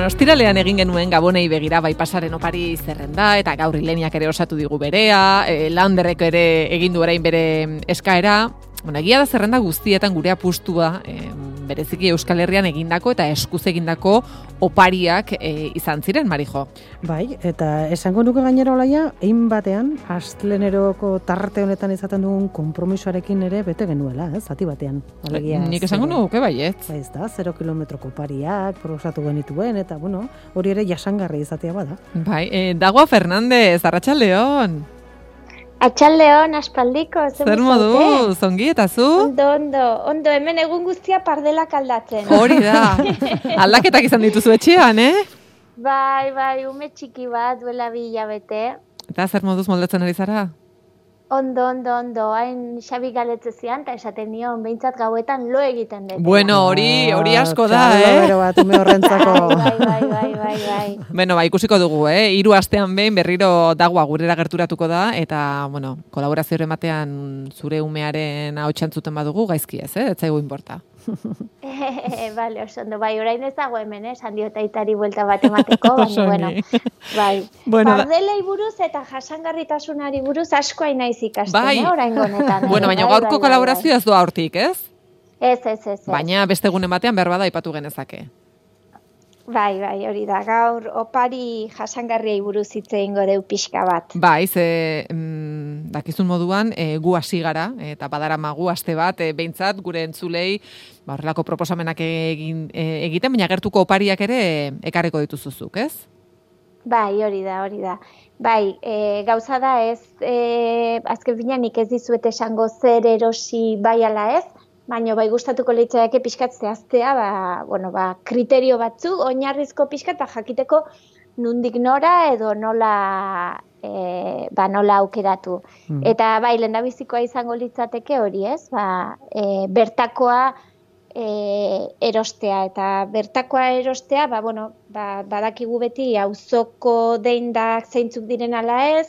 Bueno, ostiralean egin genuen Gabonei begira bai pasaren opari zerrenda, eta gaur Ileniak ere osatu digu berea, Landerrek ere egin du orain bere eskaera. Bueno, egia da zerrenda guztietan gure apustua, bereziki Euskal Herrian egindako eta eskuz egindako opariak izan ziren, Marijo. Bai, eta esango nuke gainera olaia, egin batean, asteleneroko tarte honetan izaten dugun konpromisoarekin ere bete genuela, zati batean. Alegia, Nik esango nuke baiet. Bai, ez da, 0 kilometroko opariak, proposatu genituen, eta bueno, hori ere jasangarri izatea bada. Bai, Dagoa Fernandez, arratsaldeon. Atxaldeon, aspaldiko, zer modu, zongi eta zu? Ondo, hemen egun guztia pardelak aldatzen. Hori da, aldaketak izan dituzu etxean, Bai, ume txiki bat, duela 2 hilabete. Eta zer moduz moldatzen ari zara? Ondo, hain Xabi galetzezian, eta esaten nion, behintzat gauetan lo egiten dut. Bueno, hori asko da, Bero bat, ume horrentzako. Bai. Bueno, ikusiko dugu, 3 astean behin berriro Dagoa gurera gerturatuko da, eta, bueno, kolaborazio ematean zure umearen ahotsa entzuten badugu, gaizki ez zaigu inporta. Bale, oso ondo, bai, orain ez dago hemen, esan diot aitari buelta bat emateko, baina, bai. Pardelei buruz eta jasangarritasunari buruz asko hain naiz ikasten, orain gonetan. Bueno, baina gaurko kolaborazioa ez doa hortik, ez? Ez. Baina beste egunen batean behar bada aipatu genezake. Bai, hori da, gaur opari jasangarriei buruz hitz egingo deu pixka bat. Bai, dakizun moduan, gu hasi gara, eta badaramagu aste bat, behintzat, gure entzulei, horrelako proposamenak egiten, baina gertuko opariak ere ekarriko dituzuzuk, ez? Bai, hori da. Bai, gauza da ez, azken finean nik ez dizuet esango zer erosi bai ala ez, baina bai gustatuko leitzaiake pixkat zehaztea, kriterio batzuk, oinarrizko pixkat, jakiteko nundik nora edo nola aukeratu. Eta bai, lehendabizikoa izango litzateke hori ez, bertakoa erostea, eta bertakoa erostea, badakigu beti auzoko deindak zeintzuk diren ala ez,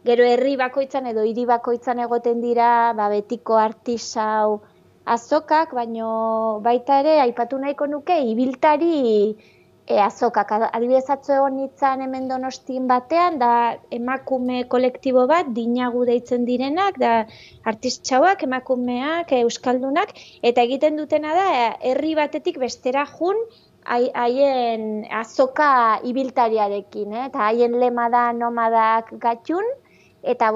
gero herri bakoitzan edo hiri bakoitzan egoten dira, betiko artisau azokak, baino baita ere aipatu nahiko nuke ibiltari azokak. Adibidez atzo egon nintzen hemen Donostin batean, da emakume kolektibo bat, dinagu deitzen direnak, da artistauak, emakumeak, euskaldunak, eta egiten dutena da herri batetik bestera jun haien azoka ibiltariarekin, eta haien lema da nomadak gatxun, eta,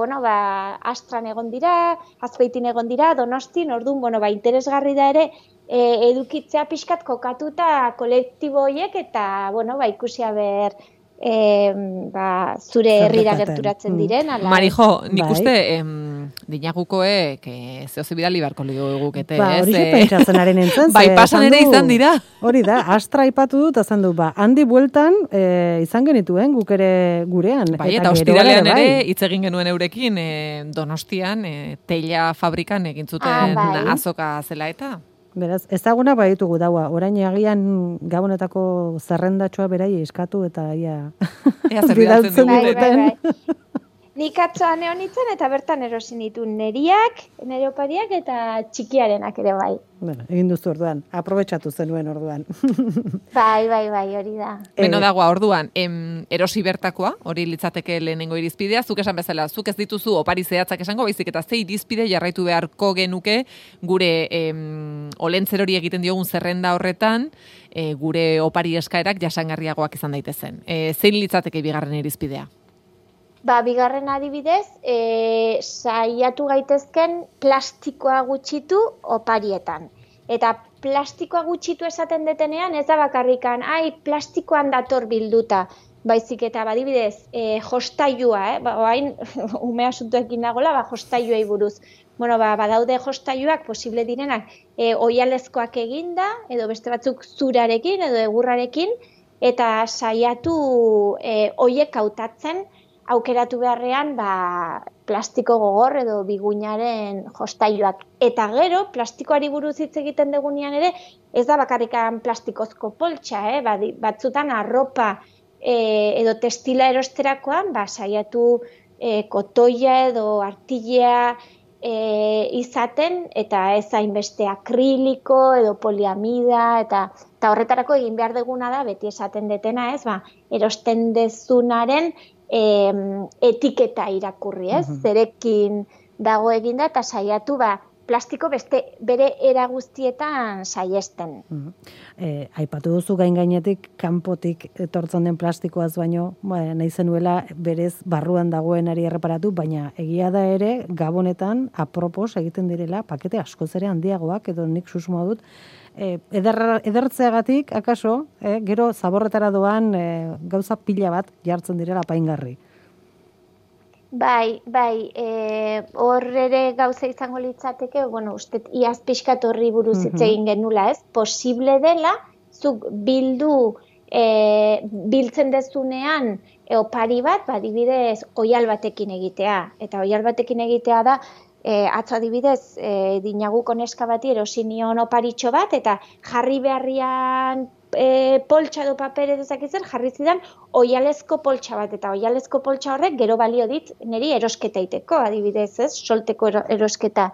Astran egon dira, Azpeitin egon dira, Donostin, orduan, interesgarri da ere, edukitzea pixkat kokatuta kolektibo horiek, eta, ikusia ber, zure herrira gerturatzen diren. Marijo, nik uste, dinagukoek, zehoze bidali barko ligugukete, ez? Hori pentsatzen haren entzan. Bai, pasan ere izan dira. Hori da, Astra aipatu dut, azan du, handi bueltan izan genituen guk ere gurean. Bai, eta ostiralean ere, hitz egin genuen eurekin, Donostian, teila fabrikan egin zuten azoka zela eta. Beraz, ezaguna baditugu daua, orain agian Gabonetako zerrendatxoa berai eskatu eta ia bidaltzen duten. Nik atzoan egon nintzen eta bertan erosin ditu neriak, nere opariak eta txikiarenak ere bai. Bueno, egin duzu orduan, aprobetxatu zenuen orduan. Bai, hori da. Beno Dagoa, orduan, erosi bertakoa, hori litzateke lehenengo irizpidea, zuk esan bezala, zuk ez dituzu opari zehatzak esango, baizik eta ze irizpide jarraitu beharko genuke gure olentzer hori egiten diogun zerrenda horretan, gure opari eskaerak jasangarriagoak izan daitezen. Zein litzateke bigarren irizpidea? Bigarren adibidez, saiatu gaitezken plastikoa gutxitu oparietan. Eta plastikoa gutxitu esaten detenean, ez da bakarrikan, plastikoan dator bilduta. Baizik eta badibidez, jostailua, hain umea asuntoekin nagola, jostailuei buruz. Badaude jostailuak posible direnak oialezkoak eginda, edo beste batzuk zurarekin, edo egurrarekin, eta saiatu hoiek hautatzen, aukeratu beharrean plastiko gogor edo biguinaren jostailuak. Eta gero, plastikoari buruz hitz egiten dugunean ere, ez da bakarrikan plastikozko poltsa, batzutan arropa edo textila erosterakoan, saiatu kotoia edo artilea izaten, eta ez hainbeste akriliko edo poliamida, eta Eta horretarako egin behar duguna da, beti esaten detena, ez, erosten dezunaren etiketa irakurri, ez, zerekin dago eginda, eta saiatu, plastiko bere era guztietan saiesten. Aipatu duzu gainetik kanpotik etortzen den plastikoaz baino, nahi zenuela berez barruan dagoenari erreparatu, baina egia da ere gabonetan apropos egiten direla pakete askoz ere handiagoak, edo nik susmoa dut, edertzeagatik, akaso, gero zaborretara doan gauza pila bat jartzen direla apaingarri. Bai, hor ere gauza izango litzateke, uste iaz pixkat horri buruz hitz egin genula, ez? Posible dela, zuk biltzen dezunean opari bat, adibidez, oihal batekin egitea. Eta oihal batekin egitea da, atzo adibidez, dinaguko neska bati erosi nion oparitxo bat, eta jarri beharrian poltsa edo paper edo zakitzen, jarri zidan oihalezko poltsa bat, eta oihalezko poltsa horrek gero balio dit niri erosketa iteko, adibidez, ez, solteko erosketa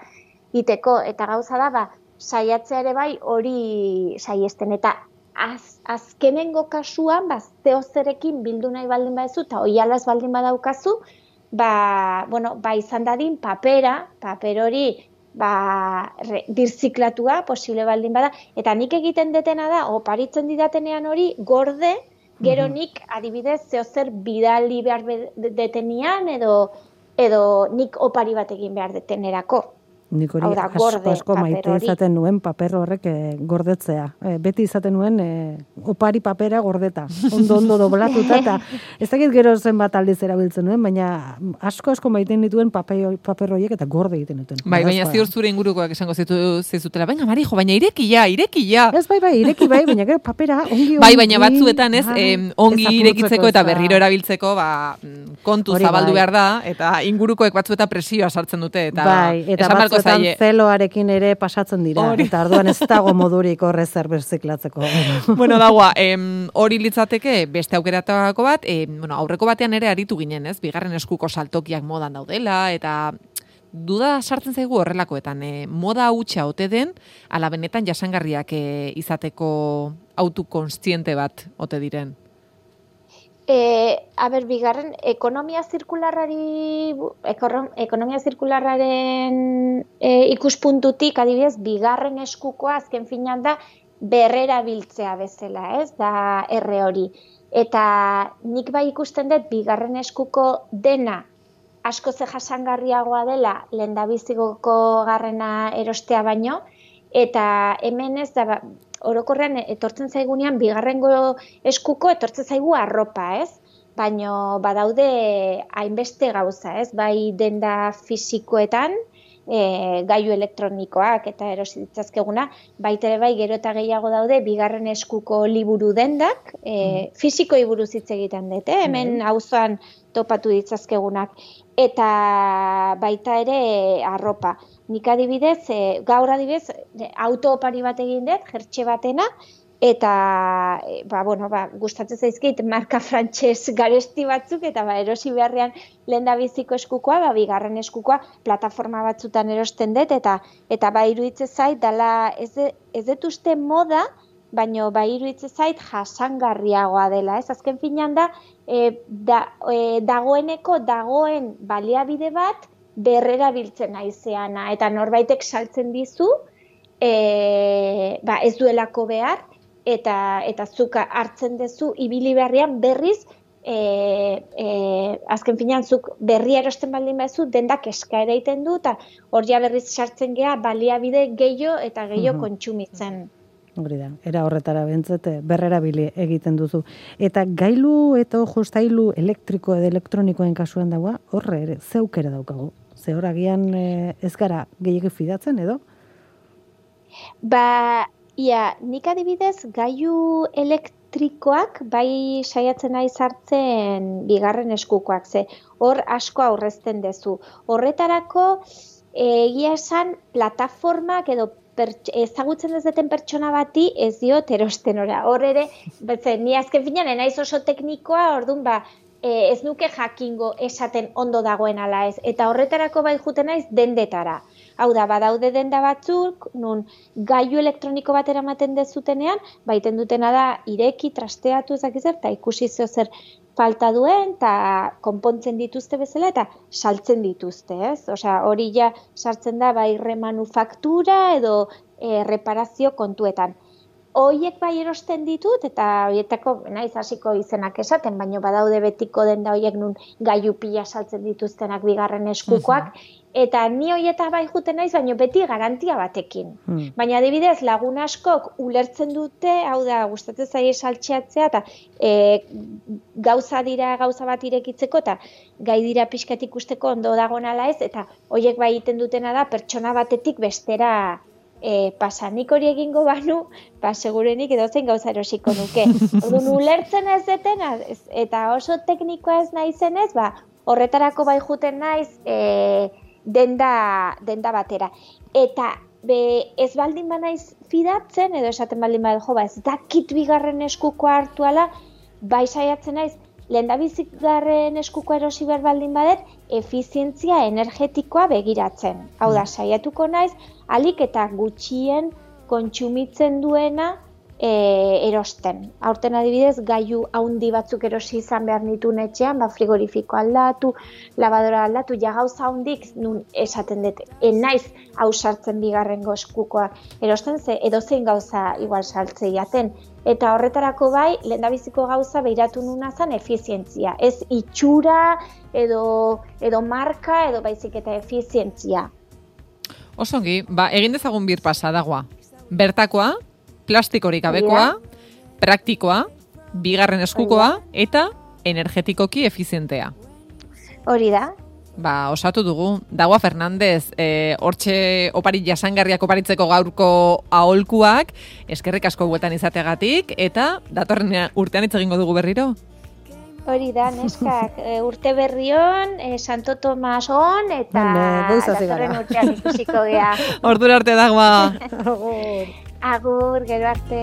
iteko, eta gauza da, saiatzea ere bai hori saiesten, eta azkenengo kasuan, zeozerekin bildu nahi baldin badezu, eta oihalaz baldin badaukazu, izan dadin paper hori, birziklatua, posible baldin bada, eta nik egiten detena da, oparitzen didatenean hori, gorde, gero nik adibidez zeozer bidali behar detenian, edo nik opari bat egin behar detenerako. Nik hori asko maite izaten nuen paper horrek gordetzea. Beti izaten nuen opari papera gordeta. Ondo doblatuta, eta ez dakit gero zenbat aldiz erabiltzen nuen, baina asko maite nituen paper horiek eta gorde egiten nituen. Baina ziur zure ingurukoak esango zizutela, baina Marijo, baina irekia. Ez ireki baina gero papera ongi. Baina batzuetan ez, ongi irekitzeko eta berriro erabiltzeko, kontu zabaldu behar da, eta ingurukoek batzuetan presioa sartzen dute, eta batzuetan zeloarekin ere pasatzen dira, eta orduan ez dago modurik horre zer berziklatzeko. Bueno, dagoa, hori litzateke beste aukeratako bat, aurreko batean ere aritu ginen, ez? Bigarren eskuko saltokiak modan daudela, eta duda sartzen zaigu horrelakoetan, moda hutsa ote den, ala benetan jasangarriak izateko autokontziente bat ote diren? Bigarren, ekonomia zirkularraren ikuspuntutik, adibidez, bigarren eskukoa azken finean da berrerabiltzea bezala, ez, da erre hori. Eta nik bai ikusten dut, bigarren eskuko dena asko ze jasangarriagoa dela lehendabiziko garrena erostea baino, eta hemen ez da, orokorrean etortzen zaigunean bigarrengo eskuko etortzen zaigu arropa, ez? Baina badaude hainbeste gauza, ez? Bai denda fisikoetan, gailu elektronikoak eta erosi ditzazkeguna, baitere bai gero eta gehiago daude bigarren eskuko liburu dendak, fisikoi buruz hitz egiten dut, hemen auzoan topatu ditzazkegunak, eta baita ere arropa. Nik adibidez, gaur adibidez, auto-opari bat egin dut, jertxe batena, eta gustatzen zaizkit marka frantses garesti batzuk, eta erosi beharrean lehendabiziko eskukoa, bigarren eskukoa plataforma batzutan erosten dut, eta iruditzen zait, dala ez dut uste moda, baina iruditzen zait jasangarriagoa dela. Ez azken finean da, dagoen baliabide bat, berrerabiltzen naizeana, eta norbaitek saltzen dizu, ez duelako behar, eta zuk hartzen duzu ibili beharrian berriz, azken finean zuk berria erosten baldin baduzu, dendak eskaera egiten du, eta hor ja berriz sartzen gea baliabide gehiago eta gehiago kontsumitzen. Hori da, era horretara bentzete, berrerabili egiten duzu. Eta gailu eta jostailu elektriko edo elektronikoen kasuan dagoa, horre ere, zeukera daukagu. Ze hor agian ez gara gehiago fidatzen, edo? Nik adibidez gailu elektrikoak bai saiatzen nahi sartzen bigarren eskukoak, ze hor asko aurrezten dezu. Horretarako egia esan plataformak edo ezagutzen ez deten pertsona bati ez diot erosten ora. Hor ere, ni azken finean naiz oso teknikoa, orduan ez nuke jakingo esaten ondo dagoen ala ez. Eta horretarako bai juten naiz dendetara. Hau da, badaude denda batzuk, nun gailu elektroniko bat eramaten dezutenean, baiten dutena da ireki, trasteatu ezakizer, eta ikusi zer falta duen, eta konpontzen dituzte bezala, eta saltzen dituzte, ez? Osea, hori ja sartzen da bai remanufaktura edo reparazio kontuetan. Hoiek bai erosten ditut, eta horietako naiz hasiko izenak esaten, baina badaude betiko denda horiek nun gailu pila saltzen dituztenak bigarren eskukoak, eta ni horieta bai juten naiz, baina beti garantia batekin. Baina adibidez, lagun askok ulertzen dute, hau da, gustatzen zaie saltxeatzea, eta gauza bat irekitzeko, eta gai dira pixkat ikusteko ondo dagoen ala ez, eta horiek bai egiten dutena da, pertsona batetik bestera pasa, nik hori egingo banu, segurenik edozein gauza erosiko nuke. Orduan ulertzen ez deten, eta oso teknikoa ez naizenez, horretarako bai juten naiz denda batera. Eta ez baldin banaiz fidatzen, edo esaten baldin bada, ez dakit bigarren eskukoa hartuala, bai saiatzen naiz, lehendabizigarren eskuko erosi behar baldin badet, efizientzia energetikoa begiratzen. Hau da, saiatuko naiz, alik eta gutxien kontsumitzen duena erosten. Aurten adibidez, gailu haundi batzuk erosi izan behar nituen etxean, frigorifiko aldatu, lavadora aldatu, ja gauza haundik nun esaten dut, naiz hau sartzen bigarrengo eskukoa erosten, ze edozein gauza igual saltzei jaten. Eta horretarako bai, lehendabiziko gauza behiratu nuna zen efizientzia. Ez itxura edo marka edo baizik eta efizientzia. Osongi, egin dezagun bir pasadagoa. Bertakoa, plastikorik gabekoa, praktikoa, bigarren eskukoa eta energetikoki efizientea. Hori da. Osatu dugu. Dagoa Fernandez, hortxe opari jasangarriak oparitzeko gaurko aholkuak, eskerrik asko bueltan izategatik, eta datorren urtean hitz egingo dugu berriro. Hori da, neskak, urte berrion, Santo Tomas on, eta datorren urtean ikusiko gea. Ordura arte dagoa. Agur, gero arte.